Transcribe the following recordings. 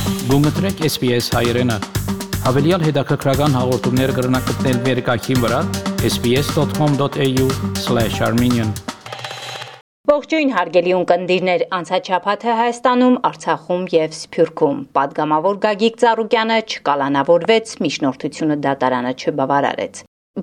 Գումտրեք SPS հայրենը, հավելյալ հետաքրքրական հաղորդումներ կգրնակցնել վերկայքին վրա sbs.com.au/armenian Ողջույն հարգելի ունկնդիրներ, անցած շաբաթը Հայաստանում, Արցախում եւ Սփյուռքում պատգամավոր Գագիկ Ծառուկյանը չկալանավորվեց, միջնորդությունը դատարանը չբավարարեց։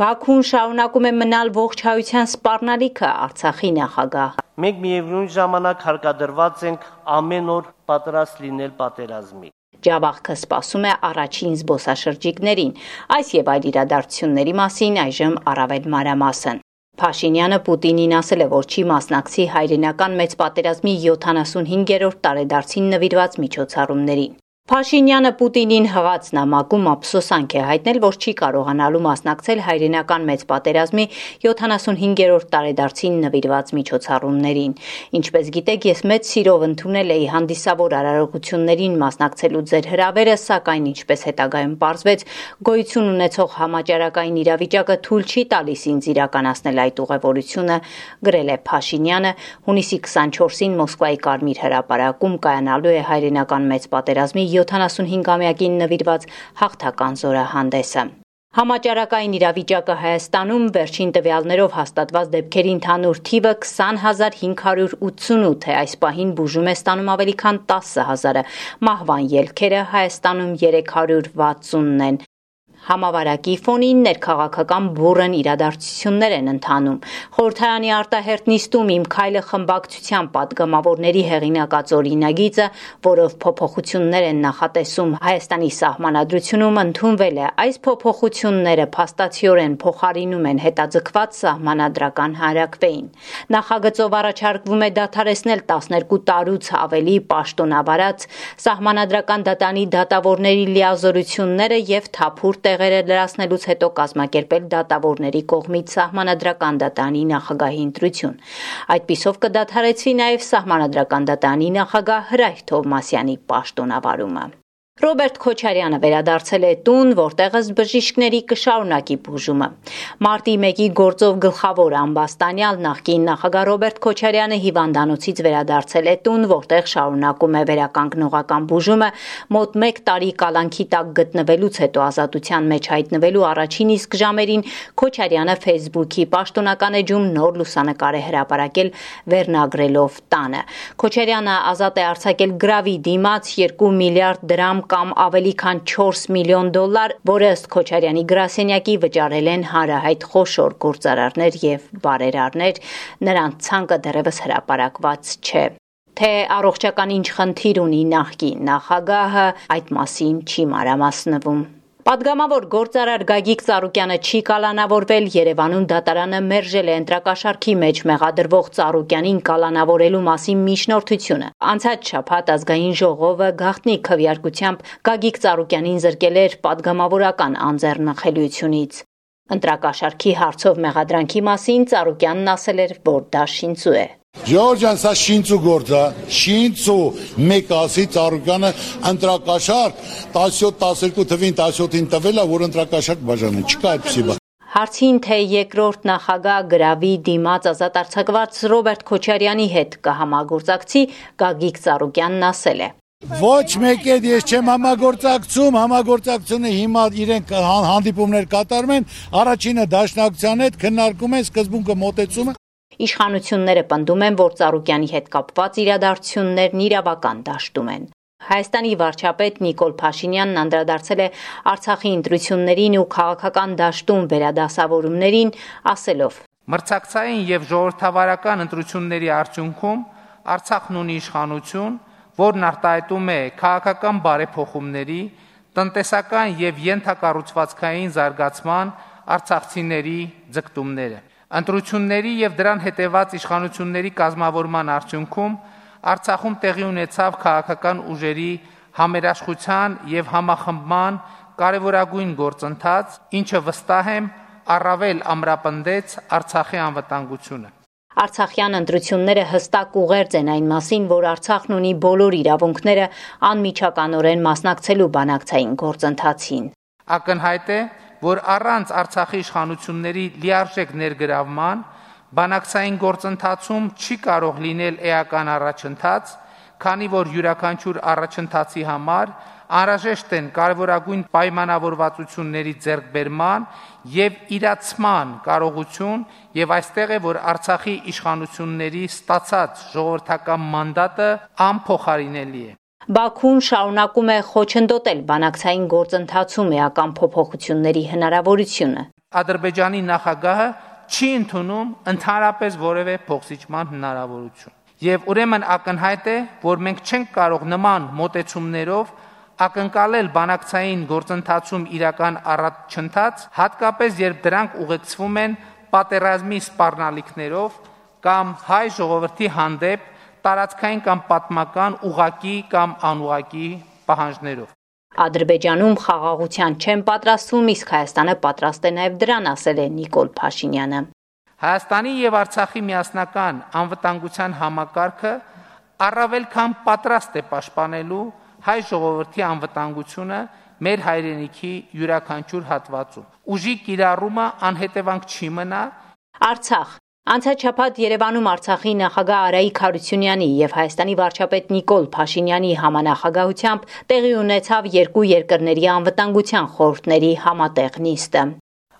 Բաքուն շարունակում է մնալ ողջ հայության սպառնալիքը, Արցախի նախագահ։ Մենք միևնույն ժամանակ հարկադրված ենք ամեն օր պատրաստ լինել պատերազմի։ Ջավախքը սպասում է առաջին զբոսաշրջիկներին, այս եւ այլ իրադարձությունների մասին այժմ առավել մանրամասն։ Փաշինյանը Պուտինին ասել է, որ չի մասնակցի հայրենական մեծ պատերազմի 75-րդ տարեդարձին նվիրված միջոցառումներին։ Փաշինյանը Պուտինին հղած նամակում ափսոսանք է հայտնել, որ չի կարողանալու մասնակցել հայրենական մեծ պատերազմի 75-րդ տարեդարձին նվիրված միջոցառումներին։ Ինչպես գիտեք, ես մեծ սիրով ընդունել էի հանդիսավոր արարողություններին մասնակցելու ձեր հրավերը, սակայն ինչպես հետագայում պարզվեց, գոյություն ունեցող համաճարակային իրավիճակը թույլ չի տալիս ինձ իրականացնել այդ ուղևորությունը, գրել է Փաշինյանը։ Հունիսի 24-ին Մոսկվայի Կարմիր հրապարակում կայանալու է հայրենական մեծ պատերազմի 75-ամյակին նվիրված հաղթական զորահանդեսը։ Համաճարակային իրավիճակը Հայաստանում վերջին տվյալներով հաստատված դեպքերի ընդհանուր թիվը 20,588 է, այս պահին բուժում է ստանում ավելի քան 10,000-ը, մահվան ելքերը Հայաստանում 360-ն են։ Համավարակի ֆոնին ներքաղաքական բուռն իրադարձություններ են ընթանում։ Խորհրդարանի արտահերթ նիստում «Իմ քայլը» խմբակցության պատգամավորների հեղինակած օրինագիծը, որով փոփոխություններ են նախատեսում Հայաստանի սահմանադրությունում, ընդունվել է։ Այս փոփոխությունները փաստացիորեն փոխարինում են հետաձգված սահմանադրական հանրաքվեին։ Նախագծով առաջարկվում է դադարեցնել 12 տարուց ավելի պաշտոնավարած սահմանադրական դատանի դատավորների լիազորությունները եւ թափուր տեղերը լրացնելուց հետո կազմակերպել դատավորների կողմից սահմանադրական դատանի նախագահի ընտրություն։ Այդպիսով կդադարեցվի նաև սահմանադրական դատանի նախագահ Հրայր Թովմասյանի պաշտոնավարումը։ Ռոբերտ Քոչարյանը վերադարձել է տուն, որտեղ ըստ բժիշկների կշարունակի բուժումը։ Մարտի 1-ի գործով գլխավոր ամբաստանյալ նախկին նախագահ Ռոբերտ Քոչարյանը հիվանդանոցից վերադարձել է տուն, որտեղ շարունակում է վերականգնողական բուժումը, մոտ 1 տարի կալանքի տակ գտնվելուց հետո ազատության մեջ հայտնվելու առաջին իսկ ժամերին Քոչարյանը Facebook-ի պաշտոնական էջում նոր լուսանկար է հրապարակել վերնագրելով տանը։ Քոչարյանը ազատ է արձակել գրավի դիմաց 2 միլիարդ դրամ կամ ավելի քան 4 միլիոն դոլար, որը ըստ Քոչարյանի գրասենյակի վճարել են հանրահայտ խոշոր գործարարներ եւ բարերարներ, նրանց ցանկը դեռևս հրապարակված չէ։ Թե առողջական ինչ խնդիր ունի նախկին նախագահը, այդ մասին չի մանրամասնվում։ Պատգամավոր գործարար Գագիկ Ծառուկյանը չի կալանավորվել, Երևանում դատարանը մերժել է ընտրակաշառքի մեջ մեղադրվող Ծառուկյանին կալանավորելու մասին միջնորդությունը։ Անցած շաբաթ ազգային ժողովը գաղտնի քվեարկությամբ Գագիկ Ծառուկյանին զրկել էր պատգամավորական անձեռնխելիությունից։ Ընտրակաշառքի հարցով մեղադրանքի մասին Ծառուկյանն ասել էր, որ դա շինծու է։ Ջորջան, սա շինծու գործ է, շինծու մեկ ասի Ծառուկյանը ընտրակաշառք 17-12 թվին 17-ին տվել է, որ ընտրակաշառք բաժանել, չկա այդպիսի բան։ Հարցին, թե երկրորդ նախագահ գրավի դիմաց ազատ արձակված Ռոբերտ Քոչարյանի հետ կհամագործակցի, Գագիկ Ծառուկյանն ասել է. Ոչ մեկ հետ ես չեմ համագործակցում, համագործակցությունը հիմա իրենք հանդիպումներ կատարում են, առաջինը դաշնակցության հետ քննարկում են սկզբունքը մոտեցումը։ Իշխանությունները պնդում են, որ Ծառուկյանի հետ կապված իրադարձություններն իրավական դաշտում են։ Հայաստանի վարչապետ Նիկոլ Փաշինյանն անդրադարձել է Արցախի ընտրություններին ու քաղաքական դաշտում վերադասավորումներին, ասելով. Մրցակցային եւ ժողովրդավարական ընտրությունների արդյունքում Արցախն ունի իշխանություն, որն արտահայտում է քաղաքական բարեփոխումների, տնտեսական եւ ենթակառուցվածքային զարգացման արցախցիների ձգտումները։ Ընտրությունների եւ դրան հետեւած իշխանությունների կազմավորման արդյունքում Արցախում տեղի ունեցավ քաղաքական ուժերի համերաշխության եւ համախմբման կարևորագույն գործընթաց, ինչը վստահ եմ առավել ամրապնդեց Արցախի անվտանգությունը։ Արցախյան ընտրությունները հստակ ուղերձ են այն մասին, որ Արցախն ունի բոլոր իրավունքները անմիջականորեն մասնակցելու բանակցային գործընթացին։ Ակնհայտ է, որ առանց Արցախի իշխանությունների լիարժեք ներգրավման բանակցային գործընթացում չի կարող լինել էական առաջընթաց, քանի որ յուրաքանչյուր առաջընթացի համար անհրաժեշտ են կարևորագույն պայմանավորվածությունների ձեռքբերման եւ իրացման կարողություն եւ այստեղ է որ Արցախի իշխանությունների ստացած ժողովրդական մանդատը անփոխարինելի է։ Բաքուն շարունակում է խոչընդոտել բանակցային գործընթացում էական փոփոխությունների հնարավորությունը։ Ադրբեջանի նախագահը չի ընդունում ընդհանրապես որևէ փոխզիջման հնարավորություն։ Եվ ուրեմն ակնհայտ է, որ մենք չենք կարող նման մոտեցումներով ակնկալել բանակցային գործընթացում իրական առաջընթաց, հատկապես երբ դրանք ուղեկցվում են պատերազմի սպառնալիքներով կամ հայ ժողովրդի հանդեպ տարածքային կամ պատմական ուղղակի կամ անուղղակի պահանջներով։ Ադրբեջանում խաղաղության չեն պատրաստվում, իսկ Հայաստանը պատրաստ է նաև դրան, ասել է Նիկոլ Փաշինյանը։ Հայաստանի եւ Արցախի միասնական անվտանգության համակարգը առավել քան պատրաստ է պաշտպանելու հայ ժողովրդի անվտանգությունը մեր հայրենիքի յուրաքանչյուր հատվածում։ Ուժի կիրառումը անհետևանք չի մնա։ Արցախ Անցած շաբաթ Երևանում Արցախի նախագահ Արայիկ Հարությունյանի եւ Հայաստանի վարչապետ Նիկոլ Փաշինյանի համանախագահությամբ տեղի ունեցավ երկու երկրների անվտանգության խորհուրդների համատեղ նիստը։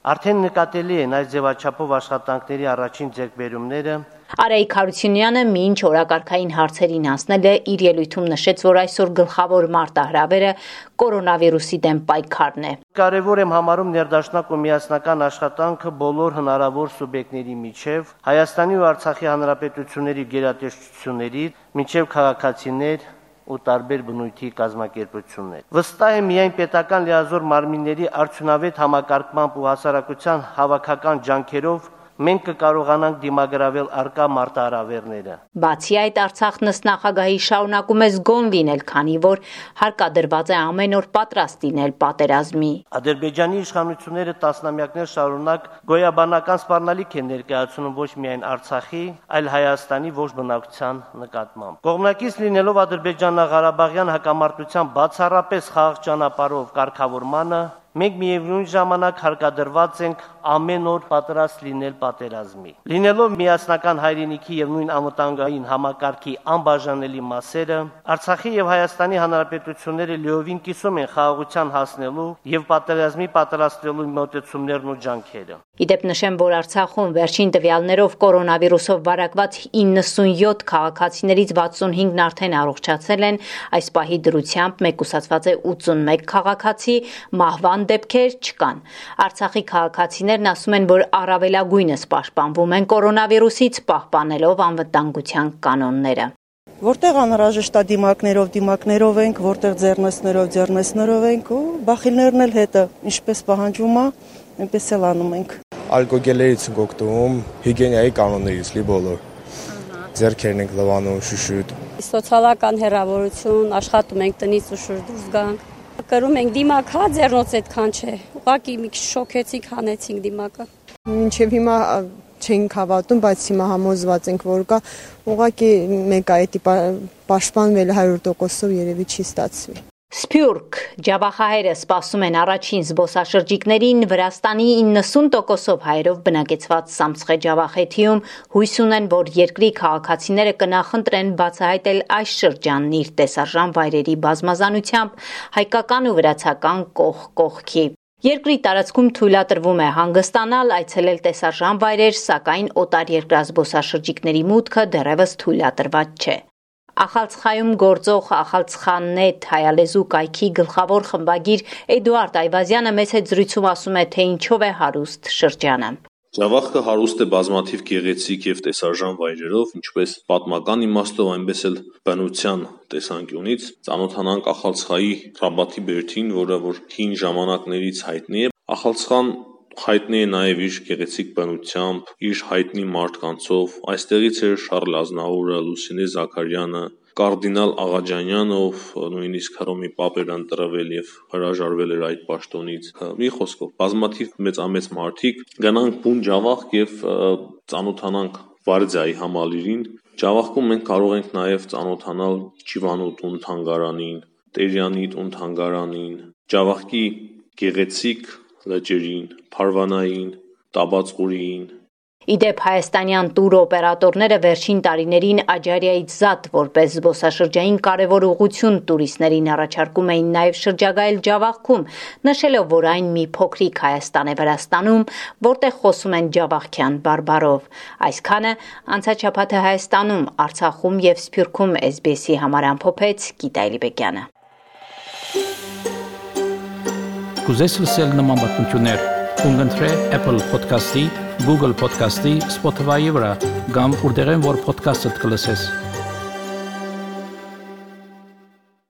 Արդեն նկատելի են այս ձևաչափով աշխատանքների առաջին ձեռքբերումները։ Արայիկ Հարությունյանը մինչ օրակարգային հարցերին անցնել է իր ելույթում նշեց, որ այսօր գլխավոր մարտահրավերը կորոնավիրուսի դեմ պայքարն է։ Կարևոր եմ համարում ներդաշնակ ու միասնական աշխատանքը բոլոր հնարավոր սուբյեկտների միջև, Հայաստանի ու Արցախի հանրապետությունների գերատեսչությունների, միջև քաղաքացիներ ու տարբեր բնույթի կազմակերպություններ։ Վստահ եմ միայն պետական լիազոր մարմինների արդյունավետ համակարգմամբ ու հասարակության հավաքական ջանքերով մենք կկարողանանք դիմագրավել արկա մարտահրավերները։ Բացի այդ, Արցախ նստնախագահի շարունակում է զգոն լինել, քանի որ հարկադրված է ամեն օր պատրաստ լինել պատերազմի։ Ադրբեջանի իշխանությունները տասնամյակներ շարունակ գոյաբանական սպառնալիք են ներկայացնում ոչ միայն Արցախի, այլ Հայաստանի ողջ բնակչության նկատմամբ։ Կողմնակից լինելով Ադրբեջանա-Ղարաբաղյան հակամարտության բացառապես խաղաղ ճանապարհով կարգավորմանը, մենք միևնույն ժամանակ հարկադրված ենք ամեն օր պատրաստ լինել պատերազմի։ Լինելով միասնական հայրենիքի եւ նույն անվտանգային համակարգի անբաժանելի մասերը, Արցախի եւ Հայաստանի հանրապետությունները լիովին կիսում են խաղաղության հասնելու եւ պատերազմի պատրաստվելու մոտեցումներն ու ջանքերը։ Իդեպ նշեմ, որ Արցախում վերջին տվյալներով կորոնավիրուսով վարակված 97 քաղաքացիներից 65-ն արդեն առողջացել են, այս պահի դրությամբ մեկուսացված է 81 քաղաքացի, մահվան դեպքեր չկան։ Արցախի քաղաքացիներն ասում են, որ առավելագույնս պաշտպանվում են կորոնավիրուսից, պահպանելով անվտանգության կանոնները։ Որտեղ անհրաժեշտ է դիմակներով ենք, որտեղ ձեռնեսներով ենք ու բախիլներն էլ հետը, ինչպես պահանջվում է, այնպես էլ անում ենք։ Ալկոգելերից ենք օգտվում, հիգիենայի կանոններից լի բոլոր։ Ձեռքերն ենք լվանում, շուշուտ։ Սոցիալական հեռավորություն, աշխատում ենք տնից ու շուտ դուրս գանք։ Կրում ենք դիմակ, հա, ձեռնոց այդքան չէ։ Ուղղակի մի քիչ շոքեցինք, հանեցինք դիմակը։ Մինչև հիմա չենք հավատում, բայց հիմա համոզված ենք, որ կա ուղղակի մեկ է դա պաշտպանվել 100%-ով երևի չի ստացվի։ Սփյուռք ջավախահերը սպասում են առաջին զբոսաշրջիկներին Վրաստանի 90%-ով հայերով բնակեցված Սամցխե ջավախեթիում հույս ունեն, որ երկրի քաղաքացիները կնախընտրեն բացահայտել այս շրջանն իր տեսարժան վայրերի բազմազանությամբ հայկական ու վրացական կողքի։ Երկրի տարածքում թույլատրվում է հանգստանալ, այցելել տեսարժան վայրեր, սակայն օտարերկրյա զբոսաշրջիկների մուտքը դեռևս թույլատրված չէ։ Ախալցխայում գործող Ախալցխաննետ հայալեզու կայքի գլխավոր խմբագիր Էդուարդ Այվազյանը մեծ զրույցում ասում է, թե ինչով է հարուստ շրջանը։ Ջավախքը հարուստ է բազմաթիվ գեղեցիկ եւ տեսարժան վայրերով, ինչպես պատմական իմաստով, այնպես էլ բնության տեսանկյունից։ Ծանոթանանք Ախալցխայի Ռաբաթի բերդին, որը որ հին ժամանակներից հայտնի է։ Ախալցխան հայտնի է նաև իր գեղեցիկ բնությամբ, իր հայտնի մարդկանցով։ Այստեղից էր Շարլ Ազնավուրը, Լուսինե Զաքարյանը, Կարդինալ Աղաջանյանը, ով նույնիսկ Հռոմի պապ էր ընտրվել եւ հրաժարվել էր այդ պաշտոնից։ Մի խոսքով, բազմաթիվ մեծամեծ մարդիկ գնանք բուն Ջավախք եւ ծանոթանանք Վարդյայի համալիրին։ Ջավախքում մենք կարող ենք նաև ծանոթանալ Չիվանու տուն թանգարանին, Տերյանի տուն թանգարանին, Ջավախքի գեղեցիկ լճերին, Փարվանային, Տաբածղուրիին, Իդեպ հայաստանյան տուր օպերատորները վերջին տարիներին Աջարիայից զատ որպես զբոսաշրջային կարևոր ուղղություն տուրիստներին առաջարկում էին նաև շրջագայել Ջավախքում, նշելով, որ այն մի փոքրիկ Հայաստան է Վրաստանում, որտեղ խոսում են ջավախքյան բարբառով։ Այսքանը անցած շաբաթը Հայաստանում, Արցախում եւ Սփյուռքում SBS-ի համար ամփոփեց Գիտա Էլիբեկյանը։ Կուզես լսել նման բանություններ, կընտրե Apple Podcast-ի, Google Podcast-ի, Spotify-ի վրա, կամ որտեղեն որ podcast-ը կլսես։